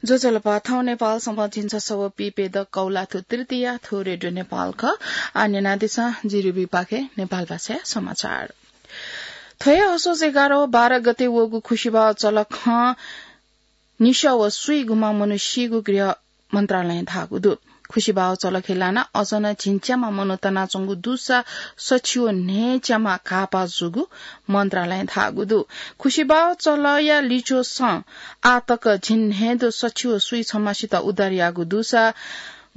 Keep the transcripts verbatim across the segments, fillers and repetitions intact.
ज्वजलपा, थौं नेपाल संवत् झिंछसः व पीप्यदँ कौलाथ्व तृतीया, थ्व रेडियो नेपाल खः। आः न्यनादिसँ जिरिबी पाखें नेपाल भाषाया समाचार। थ्व हे असोज एघार व बाह्र गते वःगु खुसिबाः चलखं निसः व स्वीगुम्ह मनू सीगु गृह मन्त्रालयं धाःगु दु। खुसिबाः चलखय् लानाः अझ नं झिंच्याम्ह मनू तनाच्वंगु दुसा सछि व न्हय्च्याम्ह घाःपाः जूगु मन्त्रालयं धाःगु दु। खुसिबाः चलया लिच्वसं आः तक झिंन्हय्दँ सछि व स्वीछम्हसित उद्धार याःगु दुसा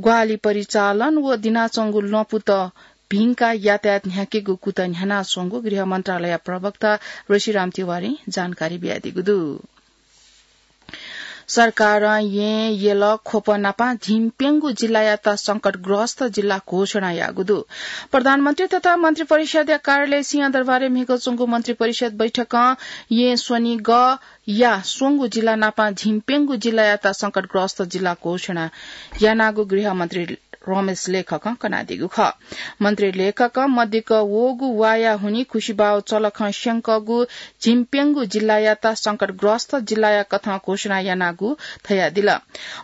ग्वाहालि परिचालन व दिनाच्वंगु ल्वपुत भिंकाः यातायात न्ह्याकेगु कुतः न्ह्यानाच्वंगु गृह मन्त्रालय प्रवक्ता ऋषिराम तिवारीं जानकारी बियादीगु दु। सरकारं येँ, यल, ख्वप नापं झिंप्यंगू जिल्लायात संकटग्रस्त जिल्ला घोषणा याःगु दु। प्रधानमन्त्री तथा मन्त्रिपरिषद्या कार्यालय सिंहदरबारय् म्हिगः च्वंगु मन्त्रिपरिषद बैठकं येँ, स्वनिगःया स्वंगू जिल्ला नापं झिंप्यंगू जिल्लायात संकटग्रस्त जिल्ला घोषणा यानागु गृहमन्त्री रमेश लेखकं कनादीगु खः। मन्त्री लेखकं मदिक्क वःगु वाया हुनिं खुसिबाः चलखं स्यंकःगु झिंप्यंगू जिल्लायात संकटग्रस्त जिल्लाया कथं घोषणा यानागु धयादिल।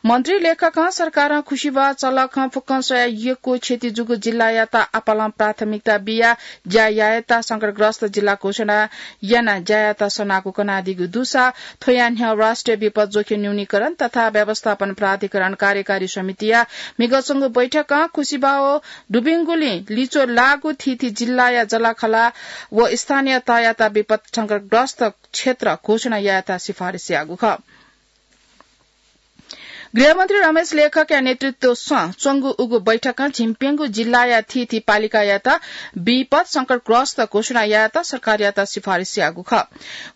मन्त्री लेखकं सरकारं खुसिबाः चलखं फुक्कं स्वयाः यक्व क्षति जूगु जिल्लायात आपालं प्राथमिकता बियाः ज्या यायेत संकटग्रस्त जिल्ला घोषणा यानाः ज्यायात सनागु कनादीगु दुसा थ्वया न्ह्यः राष्ट्रिय विपद जोखिम न्यूनीकरण तथा व्यवस्थापन प्राधिकरण कार्यकारी समितिया म्हिगः च्वंगु बैठकं खुसिबाः दुबिंगुलिं लिच्वः लाःगु थीथी जिल्लाया जःलाखःला व स्थानीय तहयात विपद संकटग्रस्त क्षेत्र घोषणा यायेत सिफारिस याःगु खः। गृहमन्त्री रमेश लेखकया नेतृत्वसं च्वंगु उगु बैठकं झिंप्यंगू जिल्लाया थीथी पालिकायात विपद संकटग्रस्त घोषणा यायेत सरकारयात सिफारिस याःगु खः।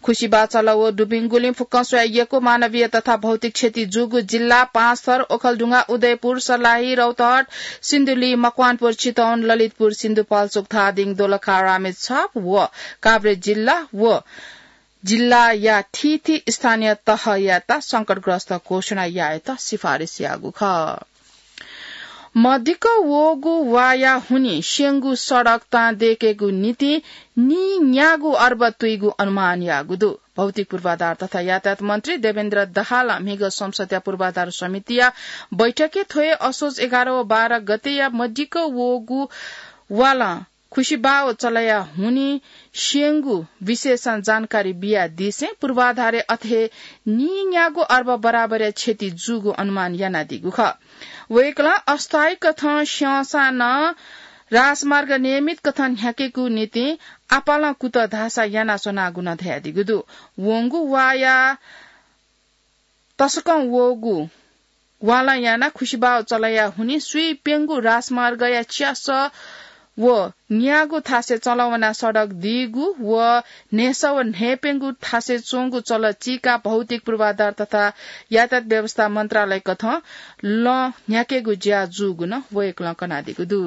खुसिबाः चल व दुबिंगुलिं फुक्कं स्वयाः यक्व मानवीय तथा भौतिक क्षति जूगु जिल्ला पाँचथर, ओखलढुङ्गा, उदयपुर, सर्लाही, रौतहट, सिन्धुली, मकवानपुर, चितवन, ललितपुर, सिन्धुपाल्चोक, धादिङ, दोलखा, रामेछाप व काभ्रे जिल्ला व जिल्लाया थीथी स्थानीय तहयात संकटग्रस्त घोषणा यायेत सिफारिस याःगु खः। मदिक्क वःगु वाया हुनिं स्यंगु सडक तां दयेकेगु निंतिं नीन्यागू अर्ब तुइगु अनुमान याःगु दु। भौतिक पूर्वाधार तथा यातायात मन्त्री देवेन्द्र दाहालं म्हिगः संसदया पूर्वाधार समितिया बैठकय् थ्व हे असोज एघार व बाह्र गतेया मदिक्क वःगु वालं खुसिबाः चलया हुनिं स्यंगु विषयसं जानकारी बियादीसें पूर्वाधारय् अथे हे नीन्यागू अर्ब बराबरया क्षति जूगु अनुमान यानादीगु खः। वय्कलं अस्थायी कथं स्यंसां नं राजमार्ग नियमित कथं न्ह्याकेगु निंतिं आपालं कुतः धाःसा यानाच्वनागु नं धयादीगु दु। वंगु वाया तसकं वःगु वालं यानाः खुसिबाः चलया हुनिं स्वीप्यंगू राजमार्गया च्यासः व न्यागू थासय् चलवना सडक दीगु व न्हय्सः व न्हय्प्यंगू थासय् च्वंगु चल चीकाः भौतिक पूर्वाधार तथा यातायात व्यवस्था मन्त्रालय कथं लँ न्ह्याकेगु ज्या जूगु नं वय्कलं कनादीगु दु।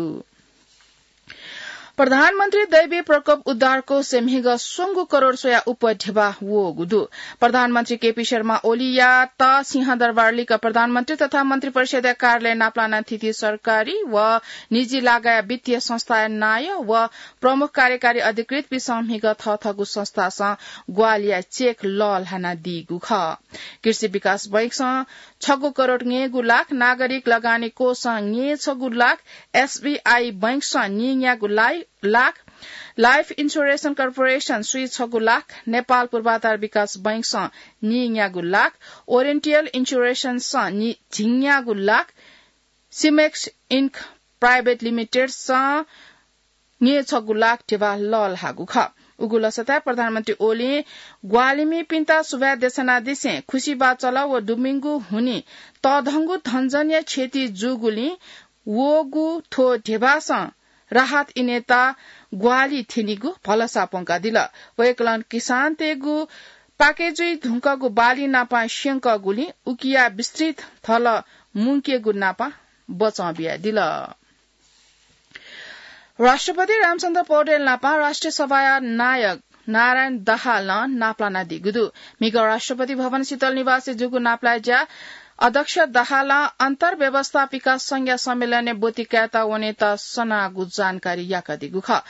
प्रधानमन्त्री दैवी प्रकोप उद्धार कोषय् म्हिगः स्वंगू करोड स्वयाः उप्वः ध्यबा वःगु दु। प्रधानमन्त्री केपी शर्मा ओलीयात सिंहदरबार लिक्क प्रधानमन्त्री तथा मन्त्रिपरिषदया कार्यालय नापलानाः थीथी सरकारी व निजी लागाया वित्तीय संस्थाया नायः व प्रमुख कार्यकारी अधिकृतपिन्सं म्हिगः थःथःगु संस्थासं ग्वाहालिया चेक लःल्हानादीगु खः। कृषि विकास बैंकसं छगू करोड न्यय्गू लाख, नागरिक लगानी कोषसं न्यय्छगू लाख, एसबीआई बैंकसं नीन्यागू लाइ-, लाख, लाइफ इन्स्योरेन्स कर्पोरेसन स्वीछगू लाख, नेपाल पूर्वाधार विकास बैंकसं नीन्यागू लाख, ओरिएन्टल इन्स्योरेन्ससं नि-, झिंन्यागू लाख, सिमेक्स इन्क प्राइभेट लिमिटेडसं न्यय्छगू लाख ध्यबा लःल्हाःगु खः। उगु लसताय् प्रधानमन्त्री ओलीं ग्वाहालिमिपिन्त सुभाय् देछानादिसें खुसिबाः चल व दुबिंगु हुनिं तःधंगु धनजनया क्षति जूगुलिं वःगु थ्व ध्यबासं राहत इनेत ग्वाहालि थ्यनीगु भलसा प्वंकादिल। वय्कलं किसानतय्गु पाके जुइ धुंकूगु बाली नापं स्यंकूगुलिं उकिया विस्तृत धलः मुंकेगु नापं बचं बियादिल। राष्ट्रपति रामचन्द्र पौडेल नापं राष्ट्रिय सभाया नायक नारायण दाहालं नापलानादीगु दु। म्हिगः राष्ट्रपति भवन शीतल निवासय् जूगु नापलाये ज्या अध्यक्ष दाहालं अन्तर्व्यवस्थापिका संघया सम्मेलनय् ब्वति कायेत वनेत सनागु जानकारी याकादीगु खः।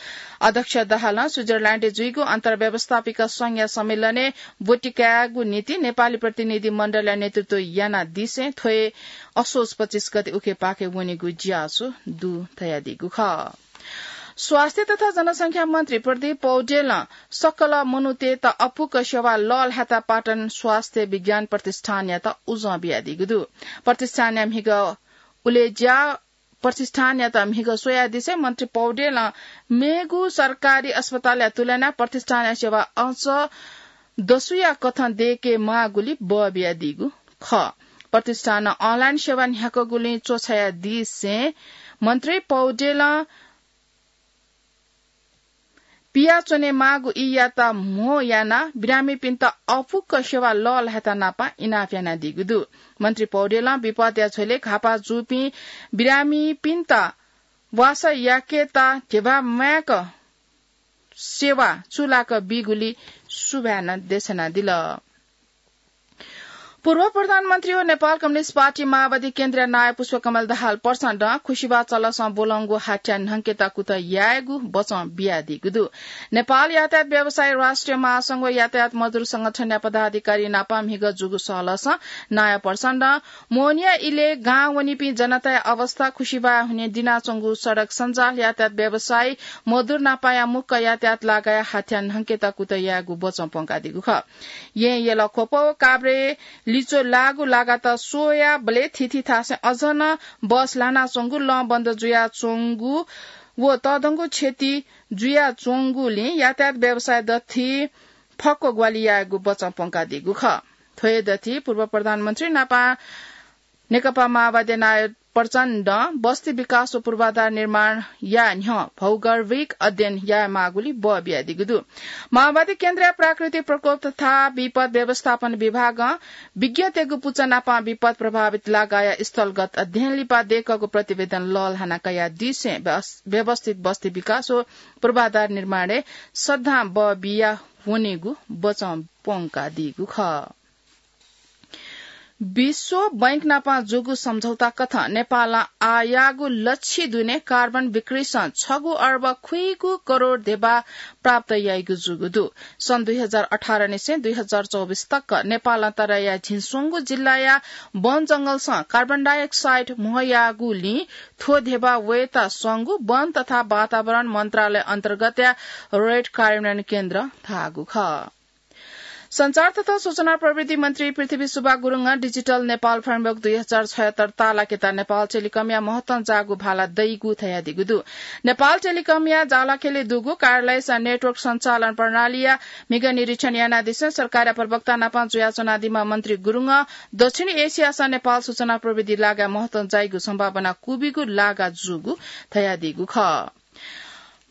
अध्यक्ष दाहालं स्विजरल्याण्डय् जुइगु अन्तर्व्यवस्थापिका संघया सम्मेलनय् ब्वति कायेगु निंतिं नेपाली प्रतिनिधि मण्डलया नेतृत्व यानादिसें थ्व हे असोज पच्चिस गते उखेपाखे वनेगु ज्याझ्वः दु धयादीगु खः। स्वास्थ्य तथा जनसंख्या मन्त्री प्रदीप पौडेलं सकल मनूतय्‌त अपुक सेवा लःल्हायेत पाटन स्वास्थ्य विज्ञान प्रतिष्ठानयात उजं बियादीगु दु। प्रतिष्ठानया म्हिगः उलेज्या प्रतिष्ठानयात म्हिगः स्वयादिसें मन्त्री पौडेलं मेगु सरकारी अस्पतालया तुलनाय् प्रतिष्ठानया सेवा अझ दसुया कथं दयेके माःगुली बः बियादीगु खः। प्रतिष्ठानं online सेवा न्ह्याकःगुलिं च्वछायादिसें मन्त्री पौडेलं पियाच्वने माःगु ईयात म्हो यानाः बिरामीपिन्त अपुक सेवा लःल्हायेत नापं इनाप यानादीगु दु। मन्त्री पौडेलं विपदया झ्वलय् घाःपाः जूपिं बिरामीपिन्त वासः याकेत ध्यबा माय्क सेवा चूलाक बीगुली सुभाय् नं देछानादिल। पूर्व प्रधानमन्त्री व नेपाल कम्युनिस्ट पार्टी माओवादी केन्द्रीय नायः पुष्पकमल दाहाल प्रचण्डं खुसिबा चलसं ब्वलंगु हाथ्या न्हंकेत कुतः यायेगु बचं बियादीगु दु। नेपाल यातायात व्यवसायी राष्ट्रिय महासंघ व यातायात मजदुर संगठनया पदाधिकारी नाप म्हिगः जूगु सहलसं नायः प्रचण्डं मोहनिया इलय् गां वनीपिं जनताया अवस्था, खुसिबाय् हुने दिनाच्वंगु सडक सञ्जाल, यातायात व्यवसायी, मजदुर नापाया मुक्क यातायात लागाया हाथ्या न्हंकेत कुतः यायेगु बचं प्वंकादीगु खः। येँ, यलख्वप व काभ्रे लिच्वः लाःगु लागात स्वयाबलय् थीथी थासय् अझ नं बस ल्हानाच्वंगु, लं बन्द जुयाच्वंगु व तःधंगु क्षति जुयाच्वंगुलिं यातायात व्यवसाय दथुइ फक्व ग्वाहालि यायेगु बचं प्वंकादीगु खः। थ्व हे दथुइ पूर्व प्रधानमन्त्री नापं नेकपा माओवादी नायः प्रचण्डं बस्ती विकास व पूर्वाधार निर्माणया न्ह्यः भौगर्भिक अध्ययन यायेमाःगुली बः बियादीगु दु। माओवादी केन्द्रीय प्राकृतिक प्रकोप तथा विपद व्यवस्थापन विभागं विज्ञतय्गु पुचः नापं विपद प्रभावित लागाया स्थलगत अध्ययन लिपा दय्कःगु प्रतिवेदन लःल्हाना कयादिसें व्यवस-, व्यवस्थित बस्ती विकास व पूर्वाधार निर्माणय् सदां बः बिया वनेगु बचं प्वंकादीगु खः। विश्व बैंक नाप जूगु सम्झौता कथं नेपालं आःयाःगु लछि दुने कार्बन बिक्रीसं छगू अर्ब खुइगू करोड धेबा प्राप्त याइगु जूगु दु। सन् दुई हजार अठार निसें दुई हजार चौबिस तक नेपालं तराईया झिंस्वंगू जिल्लाया वन जंगलसं कार्बन डाइअक्साइड म्हो याःगुलिं थ्व धेबा वयेत स्वंगू वन तथा वातावरण मन्त्रालय अन्तर्गतया रेड कार्बन केन्द्र धाःगु खः। सञ्चार तथा सूचना प्रविधि मन्त्री पृथ्वी सुब्बा गुरुङं डिजिटल नेपाल फ्रेमवर्क दुई हजार छयत्तर ताःलाकेत नेपाल टेलिकमया महत्वं जाःगु भाला दइगु धयादीगु दु। नेपाल टेलिकमया जालाखेलय् दुगु कार्यालयस नेटवर्क सञ्चालन प्रणालीया म्हिगः निरीक्षण यानादिसें सरकारया प्रवक्ता नाप जुयाच्वनादीम्ह मन्त्री गुरुङं दक्षिण एसियास नेपाल सूचना प्रविधि लागाय् महत्वं जाइगु सम्भावना क्वबिगु लागा जूगु धयादीगु खः।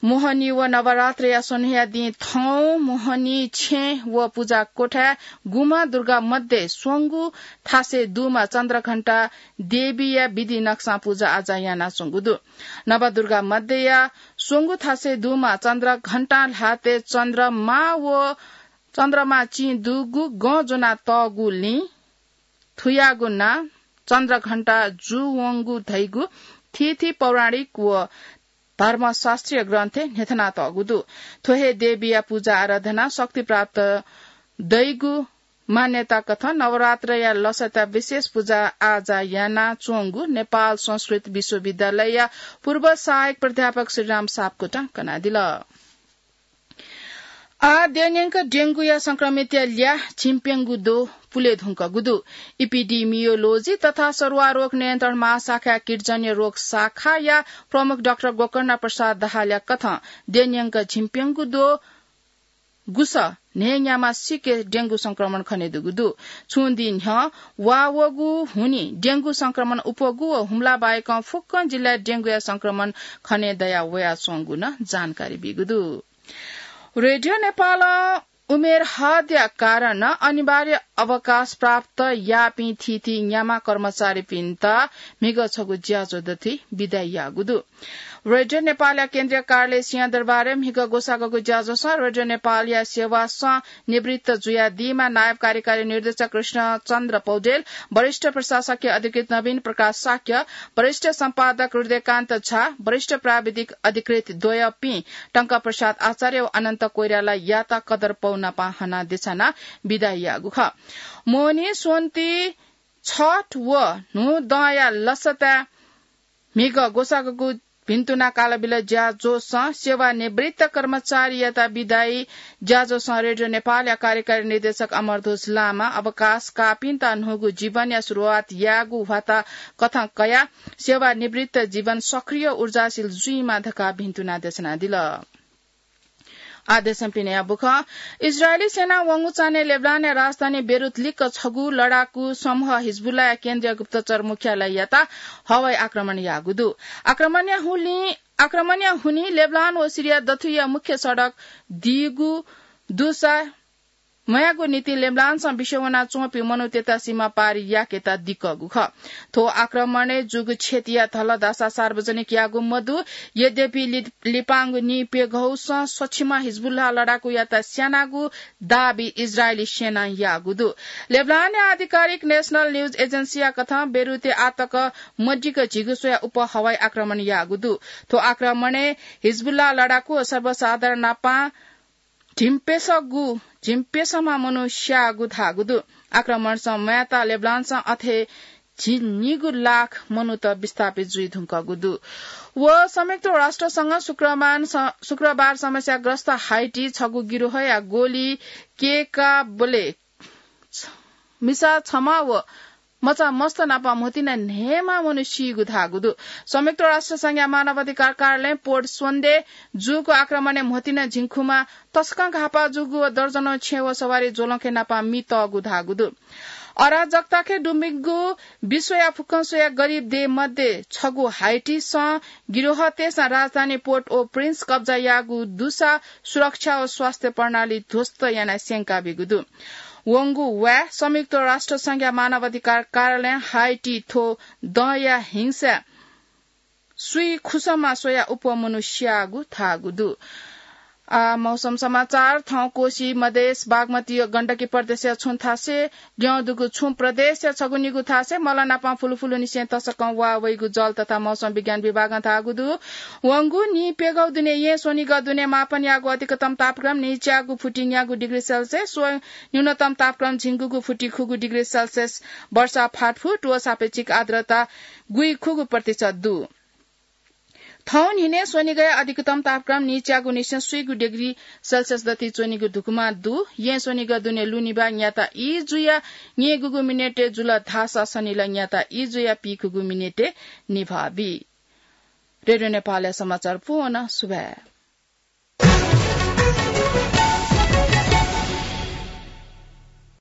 मोहनी व नवरात्रया स्वन्हुया दिं थौं मोहनी छेँ व पुजा कोठाय् गुम्ह दुर्गा मध्ये स्वंगू थासय् दुम्ह चन्द्रघण्टा देवीया विधि नक्सां पुजा आजा यानाच्वंगु दु। नवदुर्गा मध्येया स्वंगू थासय् दुम्ह चन्द्रघण्टा ल्हातय् चन्द्रमा व चन्द्रमा चिं दुगु गँ ज्वनातःगुलिं थुयागु नां चन्द्रघण्टा जूवंगु धइगु थीथी पौराणिक व धर्मशास्त्रीय ग्रन्थय् न्ह्यथनातःगु दु। थ्व हे देवीया पुजा आराधना शक्ति प्राप्त दइगु मान्यता कथं नवरात्रया लसता विशेष पुजा आजा यानाच्वंगु नेपाल संस्कृत विश्वविद्यालयया पूर्व सहायक प्राध्यापक श्रीराम सापकोटां कनादिल। आः द्यःन्यंक डेंगूया संक्रमितया ल्याः झिंप्यंगू द्वः पुले धुंकूगु दु। इपिडिमियोलोजी तथा सरुवा रोग नियन्त्रण महाशाखाया कीटजन्य रोग शाखाया प्रमुख डाक्टर गोकर्ण प्रसाद दाहालया कथं द्यःन्यंक झिंप्यंगू द्वः गुसः न्हय्न्याम्ह सिके डेंगू संक्रमण खनेदुगु दु। छुं दिं न्ह्यः वा वःगु हुनिं डेंगू संक्रमण अप्वःगु व हुम्ला बाहेकं फुक्कं जिल्लाय् डेंगूया संक्रमण खनेदया वयाच्वंगु नं जानकारी बीगु दु। रेडियो नेपालं उमेर हदया कारणं अनिवार्य अवकाश प्राप्त याःपिं थीथी न्याम्ह कर्मचारीपिन्त म्हिगः छगू ज्याझ्वः दथुइ बिदा याःगु दु। रेडियो नेपालया केन्द्रीय कार्यालय सिंहदरबारय् म्हिगः ग्वसाःगु ज्याझ्वलय् रेडियो नेपालया सेवासं निवृत्त जुयादीम्ह नायब कार्यकारी निर्देशक कृष्णचन्द्र पौडेल, वरिष्ठ प्रशासकीय अधिकृत नवीन प्रकाश शाक्य, वरिष्ठ सम्पादक हृदयकान्त झा, वरिष्ठ प्राविधिक अधिकृत द्वय्‌पिं टंकप्रसाद आचार्य व अनन्त कोइरालायात कदरपौ नापं हनाः देछानाः बिदा याःगु खः। मोहनी स्वन्ति छठ व न्हूदँया लसताय् म्हिगः ग्वसाःगु भिन्तुना कालबिल ज्याझ्वलय् सेवानिवृत्त कर्मचारीयात बिदायी ज्याझ्वलय् रेडियो नेपालया कार्यकारी निर्देशक अमरध्वज लामा अवकाश काःपिन्त न्हूगु जीवनया सुरुवात यायेगु ह्वाताकथं कयाः सेवानिवृत्त जीवन सक्रिय ऊर्जाशील जुइमा धकाः भिन्तुना देछानादिल। आदेशं पिनेया बुखँ। इजरायली सेनां वंगु चान्हय् लेबनानया राजधानी बेरुत लिक्क छगू लडाकू समूह हिजबुल्लाया केन्द्रीय गुप्तचर मुख्यालययात हवाई आक्रमण याःगु दु। आक्रमणया हुलिं, आक्रमणया हुनिं लेबनान व सिरिया दथुइया मुख्य सडक दीगु दुसा म्वायेगु निंतिं लेबनानसं बिस्युं वनाच्वंपिं मनूतय्‌त सीमा पार याकेत दिकःगु खः। थ्व आक्रमणय् जूगु क्षतिया धलदासा सार्वजनिक याःगु मदु। यद्यपि लि-, लिपांगु नीप्यघौसं स्वछिम्ह हिजबुल्लाह लडाकुयात स्यानागु दाबी इजरायली सेनां याःगु दु। लेबनानया आधिकारिक नेशनल न्यूज एजेन्सीया कथं बेरुतय् आःतक मदिक्क झिगू स्वया उप हवाई आक्रमण याःगु दु। थ्व आक्रमणय् हिजबुल्लाह लडाकु व सर्वसाधारण नापं झिंप्यसःगु, झिंप्यसःम्ह मनू स्याःगु धाःगु दु। आक्रमणसं म्वायेत लेबनानसं अथे झिंनिगू लाख मनूत विस्थापित जुइ धुंकूगु दु। व संयुक्त राष्ट्रसंघं शुक्रबार स-, शुक्रबार समस्याग्रस्त हाइटी छगू गिरोहया गोली केकाबले मिसा छम्ह व मचा मस्त नाप म्होतिना न्हय्‌म्ह मनू सीगु धाःगु दु। संयुक्त राष्ट्र संघया मानवाधिकार कार्यालयं पोर्ट स्वन्दे जूगु आक्रमणय् म्होतिना झिंखुमा तसकं घाःपाः जूगु व दर्जनौं छेँ व सवारी ज्वलंके नाप मि तःगु धाःगु दु। अराजकताखे दुबिंगु विश्वया फुक्कं स्वया गरिब देय् मध्ये छगू हाइटीसं गिरोहतय्‌सं राजधानी पोर्ट ओ प्रिन्स कब्जा याःगु दुसा सुरक्षा व स्वास्थ्य प्रणाली ध्वस्त यानाः स्यंका बीगु दु। वंगु वाय् संयुक्त राष्ट्र संघया मानवाधिकार कार्यालयं हाइटी थ्व दँया हिंसाय् स्वीखुसमा स्वया उप मनू स्याःगु धाःगु दु। आ, मौसम समाचार। थौं कोशी, मधेश, बागमती व गण्डकी प्रदेशया छुं थासय् ल्यं दुगु छुं प्रदेशया छगू निगू थासय् मल नाप फुलुफुलुनिसें तसकं वा वइगु जल तथा मौसम विज्ञान विभागं धाःगु दु। वंगु नीप्यघौ दुने येँ स्वनिगः दुने मापन याःगु अधिकतम तापक्रम नीच्यागू फुति न्यागू डिग्री सेल्सियस व न्यूनतम तापक्रम झिंगूगू फुति खुगू डिग्री सेल्सियस, वर्षा फातफुत व सापेक्षिक आर्द्रता गुइखुगू प्रतिशत दु। थौं न्हिनय् स्वनिगःया अधिकतम तापक्रम नीच्यागू निसें स्वीगू डिग्री सेल्सियस दथुइ च्वनीगु धुकुमा दु। येँ स्वनिगः दुने लु निभाः न्याता ई जुया न्यय्‌गूगू मिनेटय् जुल धाःसा सनिल न्याता ई जुया पीखुगू मिनेटय् निभाः बी। रेडियो नेपालया समाचार पूवन सुभाय्।